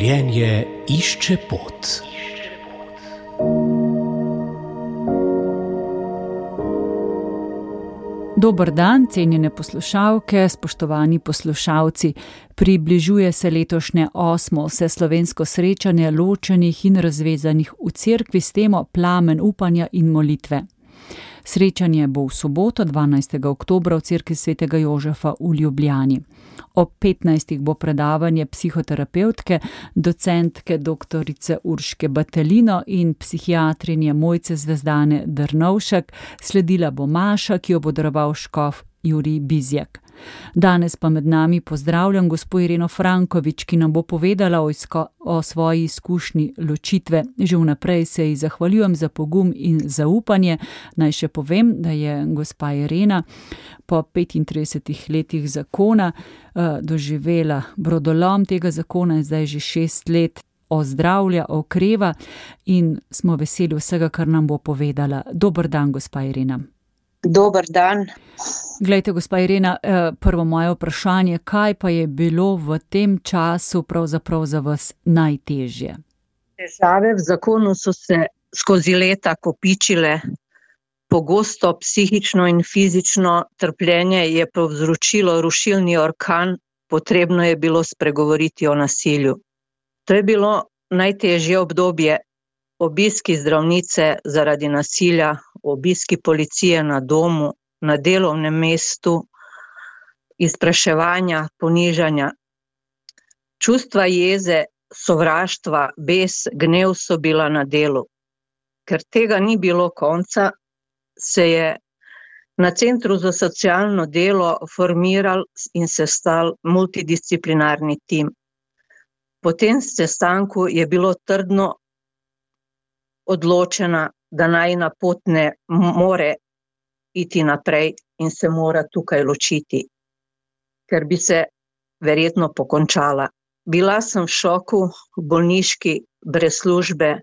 Življenje išče pot. Dober dan, cenjene poslušalke, spoštovani poslušalci. Približuje se letošnje 8. vseslovensko srečanje ločenih in razvezanih v cerkvi s temo Plamen upanja in molitve. Srečanje bo v soboto, 12. oktobra v cerkvi svetega Jožefa v Ljubljani. Ob 15. bo predavanje psihoterapevtke, docentke doktorice Urške Batelino in psihiatrinje Mojce Zvezdane Drnovšek, sledila bo maša, ki jo bo daroval škof Jurij Bizjak. Danes pa med nami pozdravljam gospo Ireno Frankovič, ki nam bo povedala o svoji izkušnji ločitve. Že vnaprej se ji zahvaljujem za pogum in zaupanje. Naj še povem, da je gospa Irena po 35 letih zakona doživela brodolom tega zakona, zdaj že 6 let ozdravlja, okreva in smo veseli vsega, kar nam bo povedala. Dober dan, gospa Irena. Dober dan. Glejte, gospa Irena, prvo moje vprašanje, kaj pa je bilo v tem času pravzaprav za vas najtežje? Težave v zakonu so se skozi leta kopičile. Pogosto psihično in fizično trpljenje je povzročilo rušilni orkan, potrebno je bilo spregovoriti o nasilju. To je bilo najtežje obdobje. Obiski zdravnice zaradi nasilja, obiski policije na domu, na delovnem mestu, izpraševanja, ponižanja. Čustva jeze, sovraštva, bes, gnev so bila na delu. Ker tega ni bilo konca, se je na Centru za socialno delo formiral in sestal multidisciplinarni tim. Po tem sestanku je bilo trdno odločena, da najina pot ne more iti naprej in se mora tukaj ločiti, ker bi se verjetno pokončala. Bila sem v šoku, v bolniški, brez službe,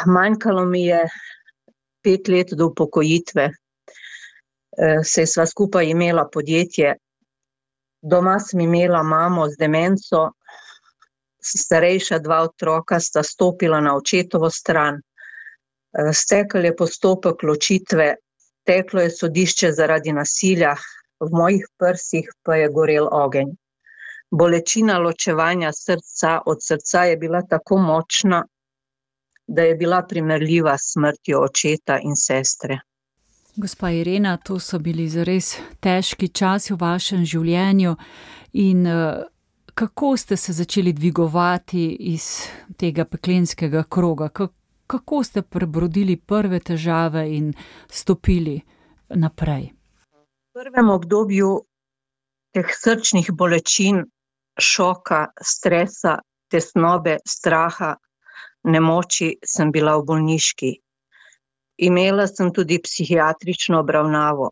manjkalo mi je 5 let do upokojitve, saj sva skupaj imela podjetje, doma sem imela mamo z demenco, starejša 2 otroka sta stopila na očetovo stran. Stekel je postopek ločitve, teklo je sodišče zaradi nasilja, v mojih prsih pa je gorel ogenj. Bolečina ločevanja srca od srca je bila tako močna, da je bila primerljiva s smrtjo očeta in sestre. Gospa Irena, to so bili zares težki časi v vašem življenju in kako ste se začeli dvigovati iz tega peklenskega kroga? Kako ste prebrodili prve težave in stopili naprej? V prvem obdobju teh srčnih bolečin, šoka, stresa, tesnobe, straha, nemoči sem bila v bolniški. Imela sem tudi psihiatrično obravnavo.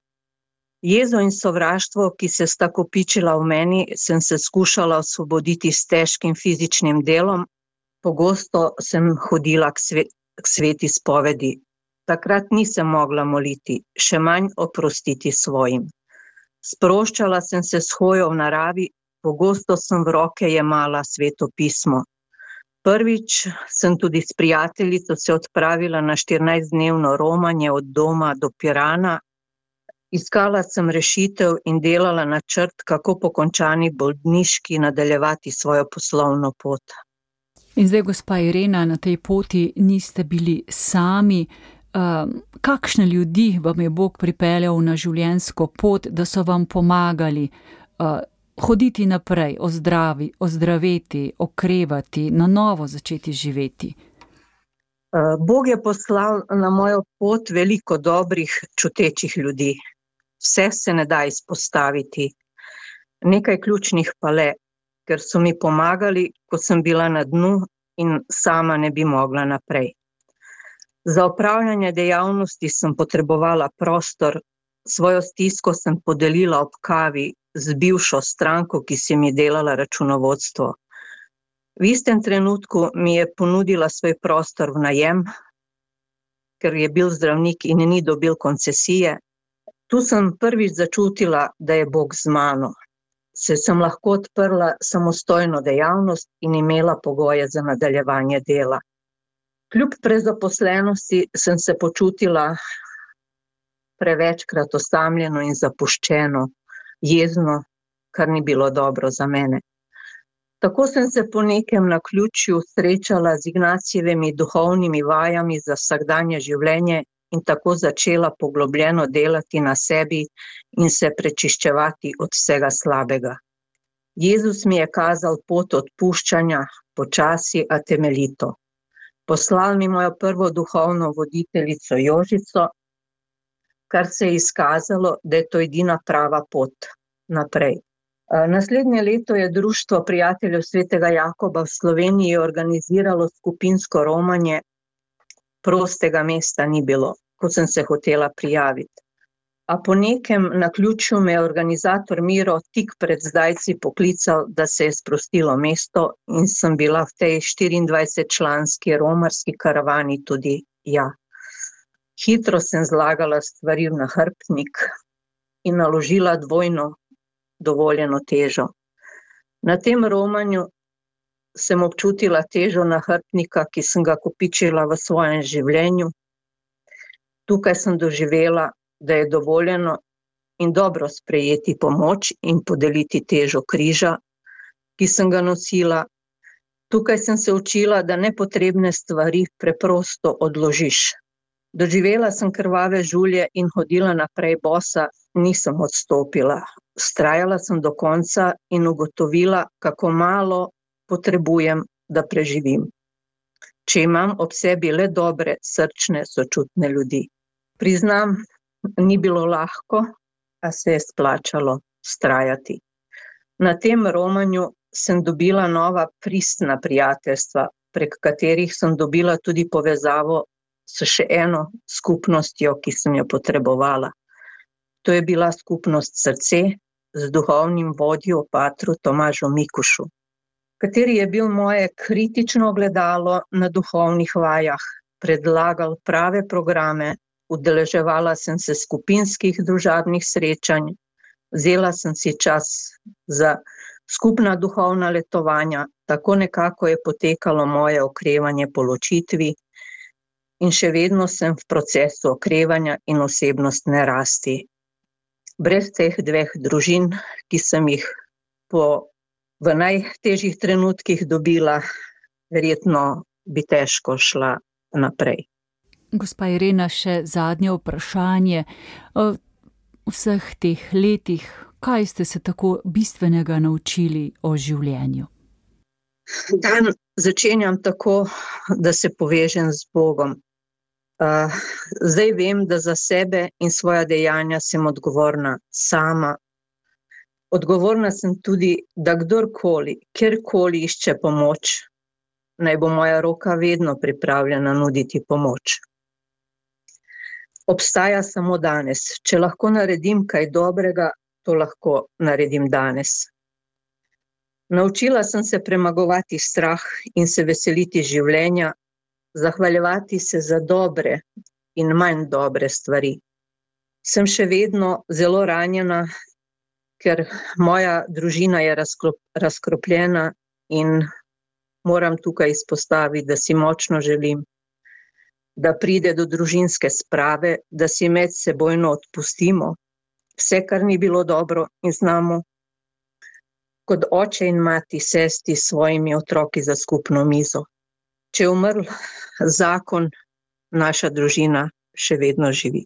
Jezo in sovraštvo, ki se sta kopičila v meni, sem se skušala osvoboditi s težkim fizičnim delom. Pogosto sem hodila k sveti spovedi. Takrat nisem mogla moliti, še manj oprostiti svojim. Sproščala sem se s hojo v naravi, pogosto sem v roke jemala sveto pismo. Prvič sem tudi s prijateljico se odpravila na 14-dnevno romanje od doma do Pirana. Iskala sem rešitev in delala načrt, kako po končani bolniški nadaljevati svojo poslovno pot. In zdaj, gospa Irena, na tej poti niste bili sami. Kakšne ljudi vam je Bog pripeljal na življenjsko pot, da so vam pomagali hoditi naprej, ozdraveti, okrevati, na novo začeti živeti? Bog je poslal na mojo pot veliko dobrih, čutečih ljudi. Vse se ne da izpostaviti. Nekaj ključnih pa le, ker so mi pomagali, ko sem bila na dnu in sama ne bi mogla naprej. Za opravljanje dejavnosti sem potrebovala prostor, svojo stisko sem podelila ob kavi z bivšo stranko, ki si mi delala računovodstvo. V istem trenutku mi je ponudila svoj prostor v najem, ker je bil zdravnik in ni dobil koncesije. Tu sem prvič začutila, da je Bog z mano. sem lahko odprla samostojno dejavnost in imela pogoje za nadaljevanje dela. Kljub prezaposlenosti sem se počutila prevečkrat osamljeno in zapuščeno, jezno, kar ni bilo dobro za mene. Tako sem se po nekem naključju srečala z Ignacijevimi duhovnimi vajami za vsakdanje življenje in tako začela poglobljeno delati na sebi in se prečiščevati od vsega slabega. Jezus mi je kazal pot odpuščanja, počasi, a temeljito. Poslal mi mojo prvo duhovno voditeljico Jožico, kar se je izkazalo, da je to edina prava pot naprej. Naslednje leto je Društvo prijateljev svetega Jakoba v Sloveniji organiziralo skupinsko romanje. Prostega mesta ni bilo, ko sem se hotela prijaviti. A po nekem naključju me je organizator Miro tik pred zdajci poklical, da se je sprostilo mesto in sem bila v tej 24-članski romarski karavani tudi ja. Hitro sem zlagala stvari v nahrbtnik in naložila dvojno dovoljeno težo. Na tem romanju sem občutila težo nahrbtnika, ki sem ga kopičila v svojem življenju. Tukaj sem doživela, da je dovoljeno in dobro sprejeti pomoč in podeliti težo križa, ki sem ga nosila. Tukaj sem se učila, da nepotrebne stvari preprosto odložiš. Doživela sem krvave žulje in hodila naprej bosa, nisem odstopila. Vztrajala sem do konca in ugotovila, kako malo potrebujem, da preživim. Če imam ob sebi le dobre, srčne, sočutne ljudi. Priznam, ni bilo lahko, a se je splačalo vztrajati. Na tem romanju sem dobila nova pristna prijateljstva, prek katerih sem dobila tudi povezavo s še eno skupnostjo, ki sem jo potrebovala. To je bila skupnost Srce z duhovnim vodjo patru Tomažom Mikušu, kateri je bil moje kritično ogledalo na duhovnih vajah, predlagal prave programe, udeleževala sem se skupinskih družabnih srečanj, vzela sem si čas za skupna duhovna letovanja, tako nekako je potekalo moje okrevanje po ločitvi in še vedno sem v procesu okrevanja in osebnostne rasti. Brez teh dveh družin, ki sem jih v najtežjih trenutkih dobila, verjetno bi težko šla naprej. Gospa Irena, še zadnje vprašanje. V vseh teh letih, kaj ste se tako bistvenega naučili o življenju? Dan začenjam tako, da se povežem z Bogom. Zdaj vem, da za sebe in svoja dejanja sem odgovorna sama. Odgovorna sem tudi, da kdorkoli, kjerkoli išče pomoč, naj bo moja roka vedno pripravljena nuditi pomoč. Obstaja samo danes. Če lahko naredim kaj dobrega, to lahko naredim danes. Naučila sem se premagovati strah in se veseliti življenja, zahvaljevati se za dobre in manj dobre stvari. Sem še vedno zelo ranjena, ker moja družina je razkropljena in moram tukaj izpostaviti, da si močno želim, da pride do družinske sprave, da si medsebojno odpustimo vse, kar ni bilo dobro in znamo kot oče in mati sesti s svojimi otroki za skupno mizo. Če je umrl zakon, naša družina še vedno živi.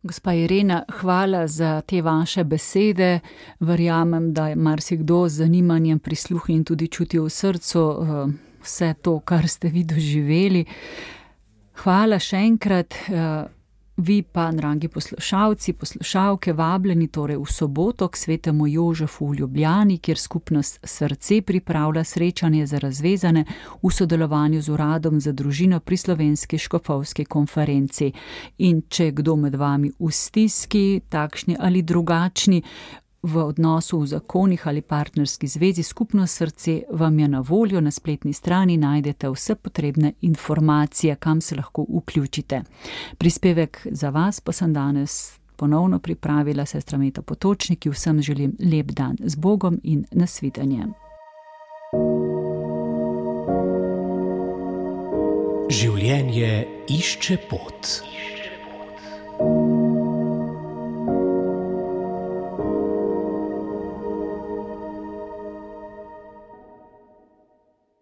Gospa Irena, hvala za te vaše besede. Verjamem, da je marsikdo z zanimanjem prisluhnil in tudi čutil v srcu vse to, kar ste vi doživeli. Hvala še enkrat. Vi pa, dragi poslušalci, poslušalke, vabljeni torej v soboto k svetemu Jožefu v Ljubljani, kjer skupnost Srce pripravlja srečanje za razvezane v sodelovanju z Uradom za družino pri Slovenski škofovski konferenci. In če je kdo med vami v stiski, takšni ali drugačni, v odnosu v zakonih ali partnerski zvezi, skupnost Srce vam je na voljo. Na spletni strani najdete vse potrebne informacije, kam se lahko vključite. Prispevek za vas pa sem danes ponovno pripravila sestra Meta Potočnik. Vsem želim lep dan z Bogom in nasvidenje. Življenje išče pot.